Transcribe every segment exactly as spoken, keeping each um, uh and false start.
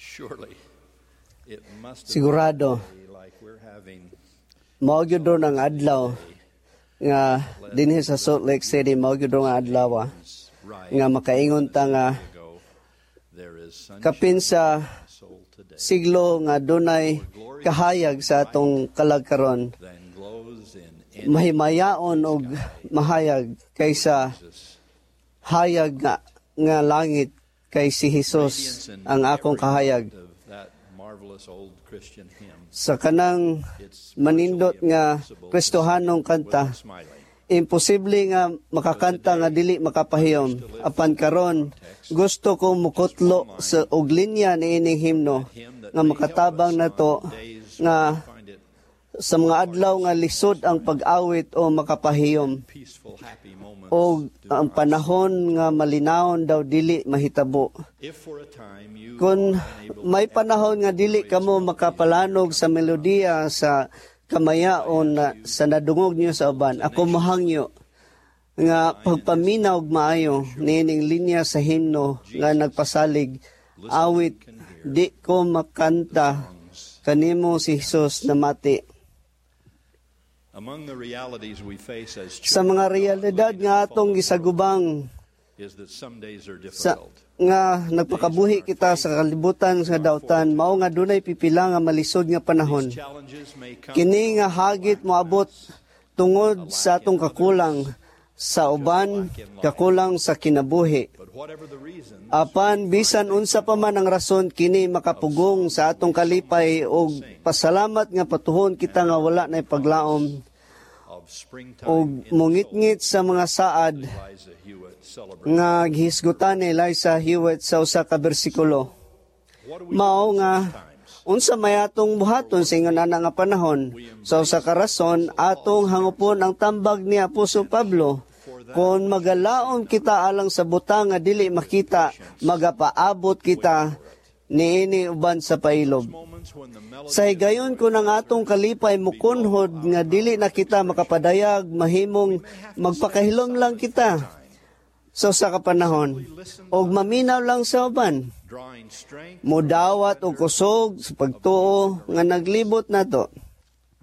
Surely, it must have Sigurado, been like we're having mao gyud ron ang adlaw nga dinhi sa Salt Lake City, mao gyud ron ang adlaw ah, right nga makaingon ta nga ago. There is sunshine kapin sa in my soul today siglo nga dunay kahayag sa atong kalag karon, than glows in any mahimayaon og mahayag kaysa Jesus. hayag nga, nga langit kay si Jesus Radiance in ang akong every kahayag. part of that marvelous old Christian hymn. Sa kanang It's manindot virtually nga impossible to Kristohanong sing kanta, without smiling. Imposible nga makakanta nga dili makapahiyom. Apan karon, gusto ko mukutlo sa og linya niining himno Hymn that nga may help makatabang us nato on days nga when we find it sa mga adlaw nga lisod ang pag-awit o makapahiyom peaceful, happy moments o do ang not panahon nga malinawon daw dili mahitabo. If for a time you Kung are unable to may panahon nga dili echo kamo the joyous makapalanog sa melodiya sa kamayaon na, sa nadungog niyo sa uban, ako mohangyo nga pagpaminaw og maayo niining linya sa himno nga nagpasalig, "Awit di ko makanta kanimo si Jesus namati." Among the realities we face as Sa children mga of God realidad living in nga a atong fallen world gisagubang is that some days are sa difficult. Nga nagpakabuhi kita sa kalibutan sa dautan, mao nga dunay pipila nga malisod nga panahon. These challenges may come Kini nga hagit moabot tungod sa atong kakulang, sa uban kakulang sa kinabuhi. But whatever the reason, Apan bisan unsa pa man ang rason, kini makapugong sa atong kalipay og pasalamat nga patuhon kita nga wala na paglaom of springtime og in the soul, mongitngit sa mga saad Eliza Hewitt celebrated. Nga gihisgutan ni Eliza Hewitt sa usa ka bersikulo. What do we Mao do in nga such times? Unsa may atong buhaton sa ingon ana nga panahon? Sa usa ka rason, atong hangupon ang tambag ni Apostol Pablo. Kung magalaom kita alang sa butang nga dili makita, magapaabot kita niini uban sa pailob. Moments when the melody Sa higayon ko ng atong kalipay mukunhod nga dili na kita makapadayag, mahimong magpakahilom lang kita sa usa ka panahon og maminaw lang sa uban. Drawing strength, Mudawat og kusog sa pagtuo nga naglibot nato.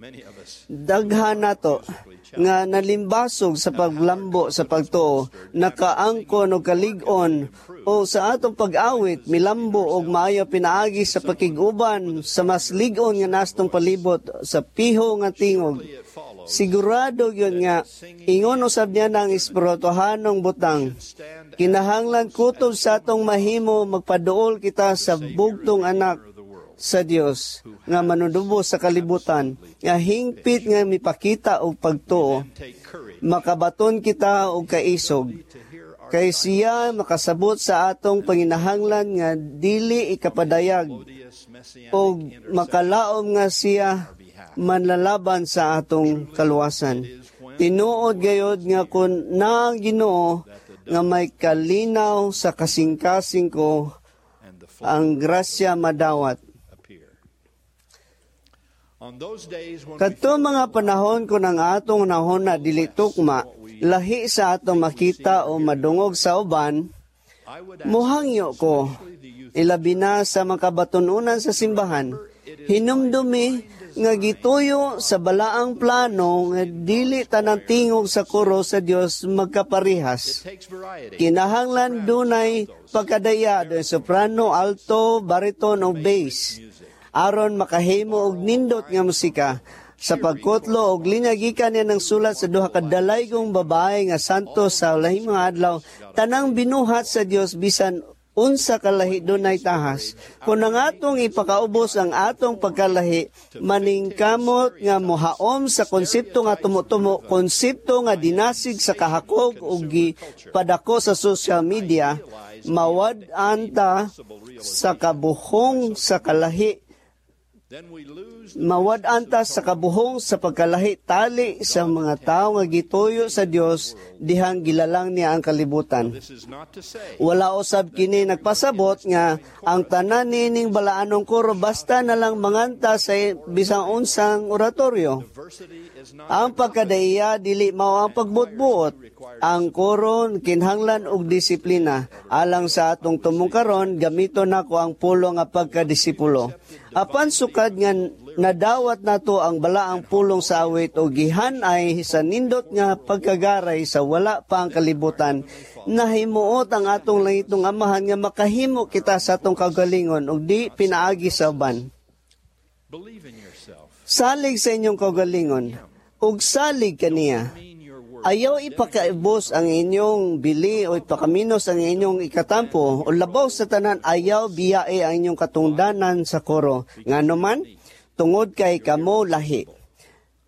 Many of us Daghan nato nga nalimbasog sa paglambo sa pagtuo, nakaangkon og kalig-on o sa atong pag-awit milambo og maayo pinaagi sa pakig-uban sa mas lig-on nga nastong palibot sa piho nga tingog. It follows Sigurado yun nga ingon usab niya ng espirituhanong butang. Stand Kinahanglan kutob sa atong mahimo, magpaduol kita sa bugtong anak of the world sa Dios nga manunubos sa kalibutan nga hingpit nga mipakita og pagtuo. And take courage Makabaton kita og kaisog to hear our kay siya makasabot sa atong panginahanglan nga dili ikapadayag melodious messianic og makalaom nga siya manlalaban sa atong kaluwasan. Tinuod gayod nga kun naa ang Ginoo nga may kalinaw sa kasing-kasing ko, and the ang grasya madawat. Appear. On those days when we Kadto mga panahon kun ang atong hunahuna dili tukma, lahi sa atong makita o madungog sa uban, I would ask muhangyo ko, ilabi na sa mga kabatununan sa simbahan, hinumdumi nga gituyo sa balaang plano nga dili tanang tingog sa koro sa Dios magkaparehas. Takes variety. Kinahanglan dunay pagkadaya, dunay soprano, alto, bariton o bass aron makahimo og nindot nga musika. Sa pagkutlo og linya gikan niya ng sulat sa duha ka dalaygong babae nga santo sa lahing mga adlaw, tanang binuhat sa Dios bisan unsa kalahi dunay tahas. Kung ang atong ipakaubos ang atong pagkalahi, maningkamot nga mohaom sa konsepto nga tumo-tumo, konsepto nga dinasig sa kahakog ug gipadako sa social media, mawad-an ta sa kabuhong sa kalahi. Then we lose Mawad-an ta sa kabuhong sa pagkalahi tali sa mga tao nga gituyo sa Dios dihang gilalang niya ang kalibutan. This is not to say Wala usab kini nagpasabot nga ang tanan niining balaanong koro basta na lang manganta sa bisang unsang oratorio. Diversity is not Ang pagkadaiya dili mao ang pagbutbuot. Ang koro kinahanglan og disiplina. Alang sa atong tumong karon, gamito nako ang pulong nga pagkadisipulo. Apan sukad nga nadawat nato ang balaang pulong sa awit o gihan-ay sa nindot nga pagkagaray sa wala pa ang kalibutan, nahimuot ang atong langitnong Amahan nga makahimo kita sa atong kaugalingon ug di pinaagi sa uban. Believe in yourself. Salig sa inyong kaugalingon ug salig kaniya. Mean your worth. Ayaw ipakaibos ang inyong bili o ipakaminos ang inyong ikatampo o labaw sa tanan, ayaw biyae ang inyong katungdanan sa koro. Ngano man, tungod kay kamo lahi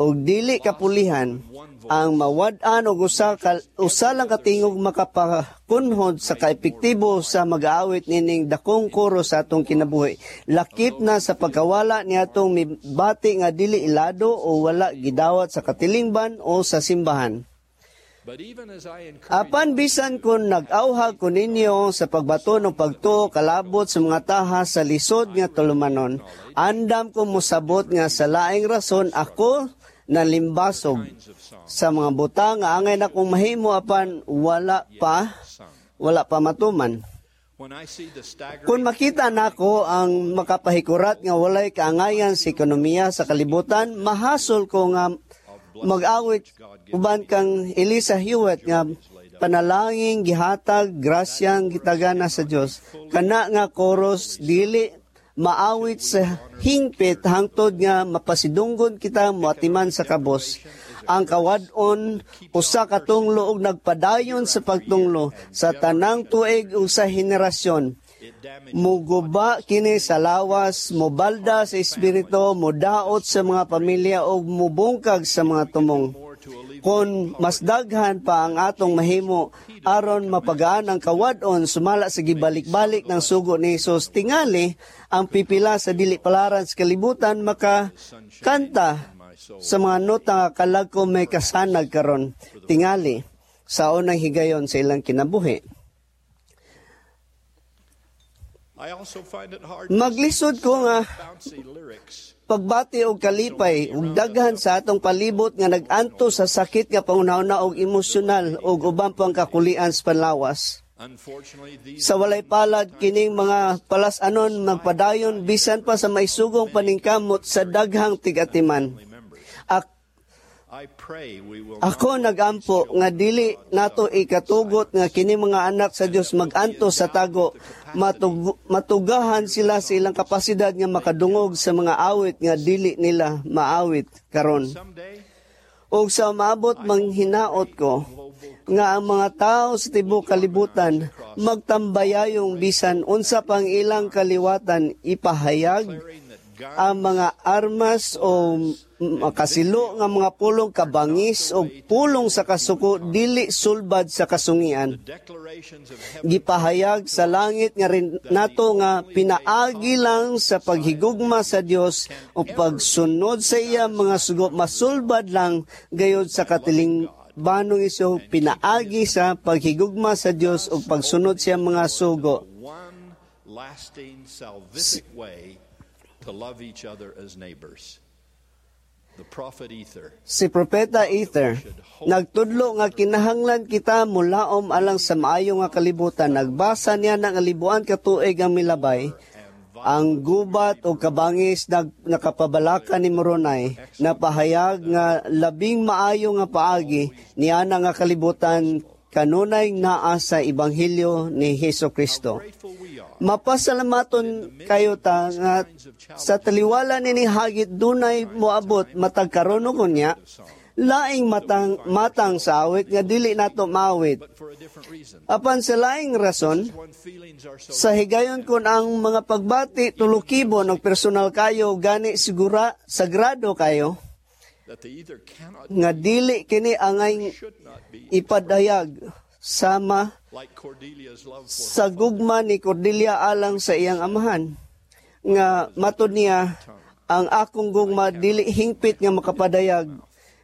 og dili kapulihan ang mawad-an og usa ka, usa lang katingog makapakunhod sa kaepektibo sa mag-aawit nining dakong koro sa atong kinabuhi, lakip na sa pagkawala ni atong mibati nga dili ilado o wala gidawat sa katilingban o sa simbahan. But even as I encourage Apan bisan kon nag-awhag ko ninyo sa pagbaton og pagtuo kalabot sa mga tahas sa lisod nga tulumanon, andam ko mosabot nga sa laing rason ako nalimbasog sa mga butang nga angay nakong mahimo apan wala pa wala pa matuman. When I see the staggering Kung makita nako ang makapahikurat nga walay kaangayan sa ekonomiya sa kalibutan, mahasol ko nga mag-awit uban kang Elisa Hewitt nga panalangin gihatag grasyang gitagana sa Dios. Kana nga chorus dili maawit sa hingpit hangtod nga mapasidunggon kita moatiman sa kabos. Ang kawad-on usa ka tunglo og nagpadayon sa pagtunglo sa tanang tuig ug sa henerasyon. It damages Muguba kini sa lawas, mubalda sa espiritu, mudaot sa mga pamilya ug mubungkag sa mga tumong. More to alleviate Kung mas daghan pa ang atong mahimo aron mapagaan ang kawad-on sumala sa gibalik-balik ng sugo ni Hesus, tingali ang pipila sa dili palaran sa kalibutan maka kanta sa mga nota nga kalag ko may kasanag karon, tingali sa unang higayon sa ilang kinabuhi. I also find it hard to Maglisod ko nga bouncy lyrics pagbati og kalipay ug daghan sa atong palibot nga nag-anto sa sakit nga panghuna-huna og emosyonal ug uban pang kakulian sa panlawas. Unfortunately, these Sa walay palad, kining mga palas-anon magpadayon bisan pa sa maisugong paningkamot sa daghang tigatiman. members. Ak- I pray we will Ako nagampo nga dili nato ikatugot nga kini mga anak sa Dios maganto sa tago, matug- matugahan sila sa ilang kapasidad nga makadungog sa mga awit nga dili nila maawit karon. Someday Ug sa maabot manghinaot ko nga ang mga tao sa tibuok kalibutan magtambayayong bisan unsa pang ilang kaliwatan ipahayag declaring that God ang mga armas o makasilo nga mga pulong kabangis o pulong sa kasuko dili sulbad sa kasungian. Declarations of heaven Gipahayag sa langit nga rin nato nga pinaagi lang sa paghigugma sa Dios o pagsunod sa iya mga sugo masulbad lang gayod sa katilingbanong iso pinaagi sa paghigugma sa Dios o pagsunod sa mga sugo. One lasting salvific way to love each other as neighbors. The prophet Ether Si Propeta Ether nagtudlo nga kinahanglan kita mulaom alang sa maayo nga kalibutan. Nagbasa niya ng alibuan ka tuig ang milabay. Ang gubat o kabangis nag, nakapabalaka ni Moroni napahayag nga labing maayo nga paagi niana nga kalibutan kanunay naa sa ebanghelyo ni Hesus Kristo. Grateful we are Mapasalamaton kayo ta nga sa taliwala nini hagit dunay moabot matag karon o kunya laing matang matang sa awit nga dili nato maawit. But for a different reason. Apan sa laing rason, When feelings are so sa higayon kon ang mga pagbati tulukibon og personal kayo, gani sigura sagrado kayo that they either cannot nga dili kini angay should not be ipadayag sama like Cordelia's love for sa gugma ni Cordelia alang sa iyang amahan nga matud niya, "Ang akong gugma dili hingpit nga makapadayag,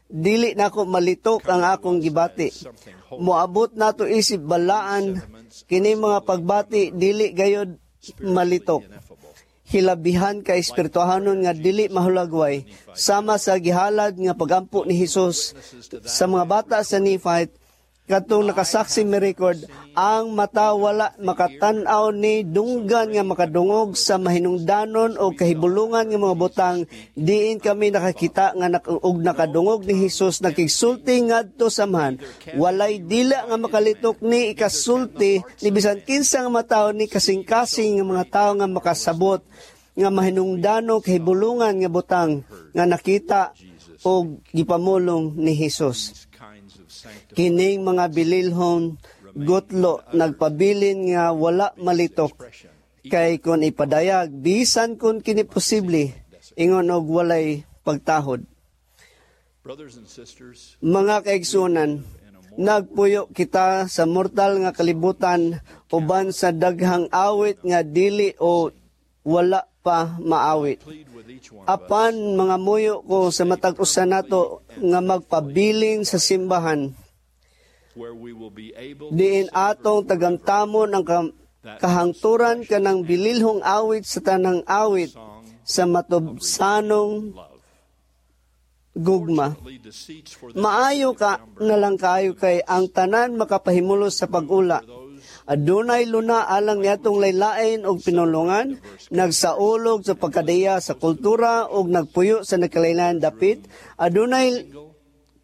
dili nako malitok ang akong gibati." Moabot nato isip balaan, kini mga pagbati dili gayod malitok, ineffable. Hilabihan ka espirituhanon nga dili mahulagway, sama sa gihalad nga pagampo ni Hesus sa mga bata sa Nephite. Katong nakasaksi mi record, ang mata wala makatan-aw ni dunggan nga makadungog sa mahinungdanon o kahibulungan nga mga butang diin kami nakakita nga nak og nakadungog ni Hesus nakigsulti ngadto sa Amahan. Walay dila nga makalitok ni ikasulti ni bisan kinsa nga matawo ni kasing-kasing nga mga tawo nga makasabot nga mahinungdano kahibulungan nga butang nga nakita og gipamulong ni Hesus. These kinds of sanctified Kining mga bililhon gutlo nagpabilin nga wala malitok expression. Kay kon ipadayag bisan kon kini posible ingon og walay pagtahod. Brothers and sisters, Mga kaigsunan, nagpuyo kita sa mortal nga kalibutan uban sa daghang awit nga dili o wala pa maawit. Plead with each one of us Apan mga muyo ko sa matag usa nato nga magpabilin sa simbahan where we will be able diin atong tagamtamon ang kam- kahangturan kanang bililhong awit sa tanang awit sa matubsanong love. Gugma. Lead the seats for the Maayo ka na lang kaayo kay ang tanan makapahimulos sa pag-ula. Adunay luna alang niatong laylain og pinulungan, nagsaulog sa pagkadaya sa kultura ug nagpuyo sa nagkalain dapit. Adunay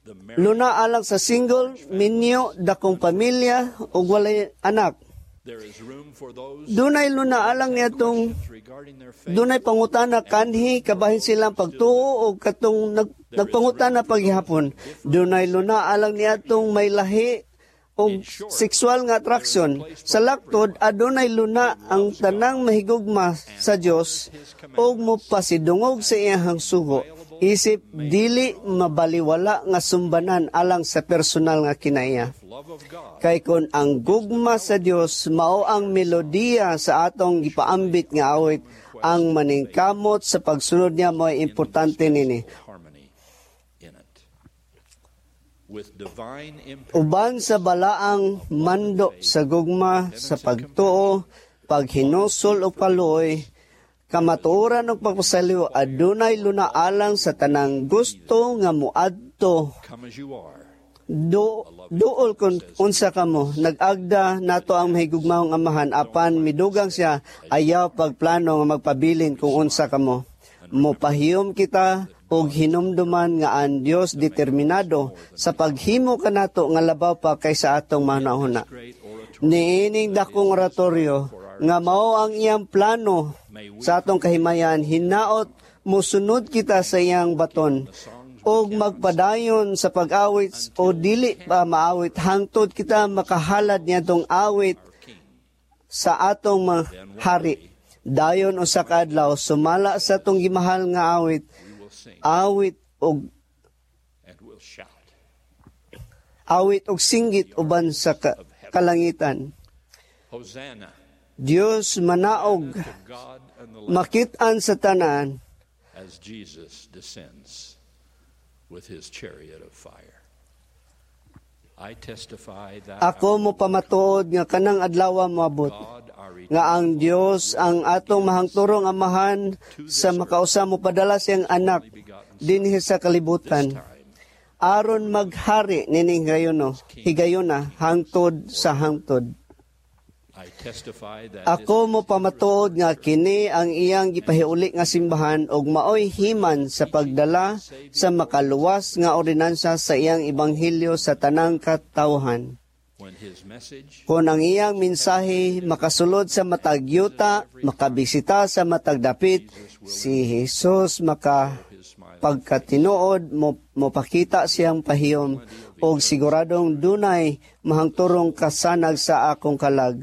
the married luna alang sa single, minyo, dakong pamilya ug walay anak. There is room for those Dunay luna alang niatong regarding their faith. Dunay pangutana kanhi kabahin silang pagtuo o katong nag, nagpangutana paghihapon. Dunay luna alang niatong may lahi og sexual nga attraction. Sa laktod, adunay luna ang tanang mahigugma sa Dios ug mopasidungog sa iyang sugo. Isip dili mabaliwala nga sumbanan alang sa personal nga kinaiya. Love of God Kay kon ang gugma sa Dios mao ang melodiya sa atong gipaambit nga awit, ang maningkamot sa pagsunod niya mo'y importante nini. Harmony in it. With divine imperative Uban sa balaang mando sa gugma, sa pagtuo, paghinusol o kaluoy, kamatuoran og pagpasaliw, adunay lunaalang sa tanang gusto nga muadto. Come as you are. Do, duol kung unsa kamo, nag-agda nato ang mahigugmaong Amahan apan midugang siya, ayaw pagplano nga magpabilin kung unsa kamo. Mopahiyom kita og hinumduman nga ang Dios determinado sa paghimo kanato nga labaw pa kaysa atong mahunahuna. Great oratory. Niining dakong oratorio nga mao ang iyang plano sa atong kahimayan, hinaot mosunod kita sa iyang baton og magpadayon sa pag-awit o dili pa maawit hangtod kita makahalad niadtong awit sa atong mga hari. Dayon usa ka adlaw sumala sa atong gimahal nga awit, We will sing awit og and we'll shout. Awit og singgit uban sa ka- kalangitan. Hosanna Dios manaog to God and the Lamb makit-an sa tanan as Jesus descends with his chariot of fire. I testify that Ako mo pamatuod nga kanang adlaw moabot God, our nga ang Dios ang atong mahangturong Amahan sa makausa mo padala siyang anak dinhi sa kalibutan time aron maghari nining higayono higayona hangtod sa hangtod. I testify that Ako mo pamatuod nga kini ang iyang gipahiuli nga simbahan ug maoy himan sa pagdala sa makaluwas nga ordinansa sa iyang ebanghelyo sa tanang katawhan. When his message Kung ang iyang mensahe makasulod sa matag yuta, makabisita sa matag dapit, si Jesus maka his smiling pagkatinuod mo mopakita siyang pahiyom og siguradong dunay mahangturong kasanag sa akong kalag.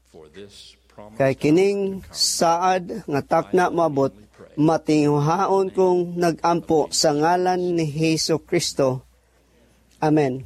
For this promise Kay kining saad nga takna moabot, matinguhaon kong nagampo sa ngalan ni Hesus Kristo. Amen.